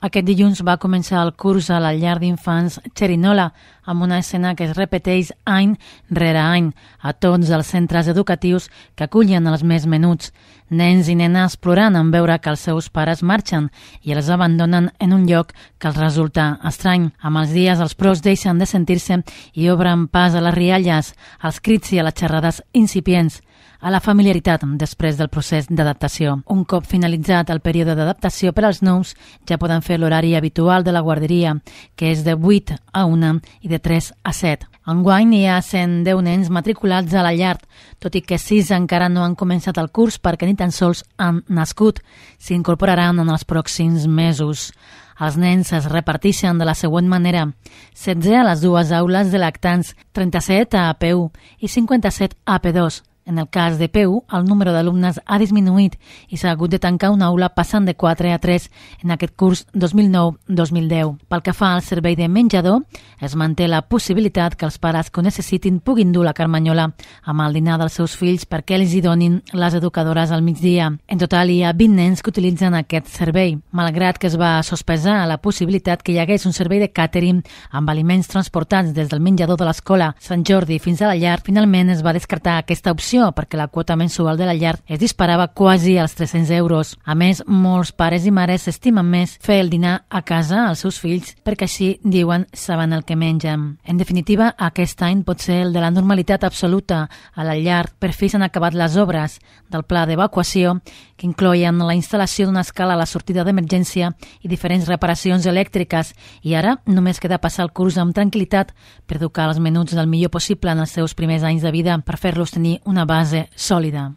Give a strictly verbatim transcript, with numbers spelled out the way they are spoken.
Aquest dilluns va començar el curs a la llar d'infants Xerinola, amb una escena que es repeteix any rere any a tots els centres educatius que acullen els més menuts. Nens i nenes plorant en veure que els seus pares marxen i els abandonen en un lloc que els resulta estrany. Amb els dies els pros deixen de sentir-se i obren pas a les rialles, als crits i a les xerrades incipients, a la familiaritat després del procés d'adaptació. Un cop finalitzat el període d'adaptació per als nous, ja poden fer l'horari habitual de la guarderia, que és de vuit a una i de tres a set. Enguany hi ha cent deu nens matriculats a la llar, tot i que sis encara no han començat el curs perquè ni tan sols han nascut. S'incorporaran en els pròxims mesos. Els nens es reparteixen de la següent manera: setze a les dues aules de lactants, trenta-set a A P u i cinquanta-set a A P dos. En el cas de P u, el número d'alumnes ha disminuït i s'ha hagut de tancar una aula passant de quatre a tres en aquest curs dos mil nou dos mil deu. Pel que fa al servei de menjador, es manté la possibilitat que els pares que ho necessitin puguin dur la carmanyola amb el dinar dels seus fills perquè els hi donin les educadores al migdia. En total, hi ha vint nens que utilitzen aquest servei. Malgrat que es va sospesar la possibilitat que hi hagués un servei de càtering amb aliments transportats des del menjador de l'escola Sant Jordi fins a la llar, finalment es va descartar aquesta opció perquè la quota mensual de la llar es disparava quasi als tres-cents euros. A més, molts pares i mares estimen més fer el dinar a casa als seus fills perquè així, diuen, saben el que mengen. En definitiva, aquest any pot ser el de la normalitat absoluta a la llar. Per fi s'han acabat les obres del pla d'evacuació, que incloïen la instal·lació d'una escala a la sortida d'emergència i diferents reparacions elèctriques, i ara només queda passar el curs amb tranquil·litat per educar els menuts del millor possible en els seus primers anys de vida per fer-los tenir una base sòlida.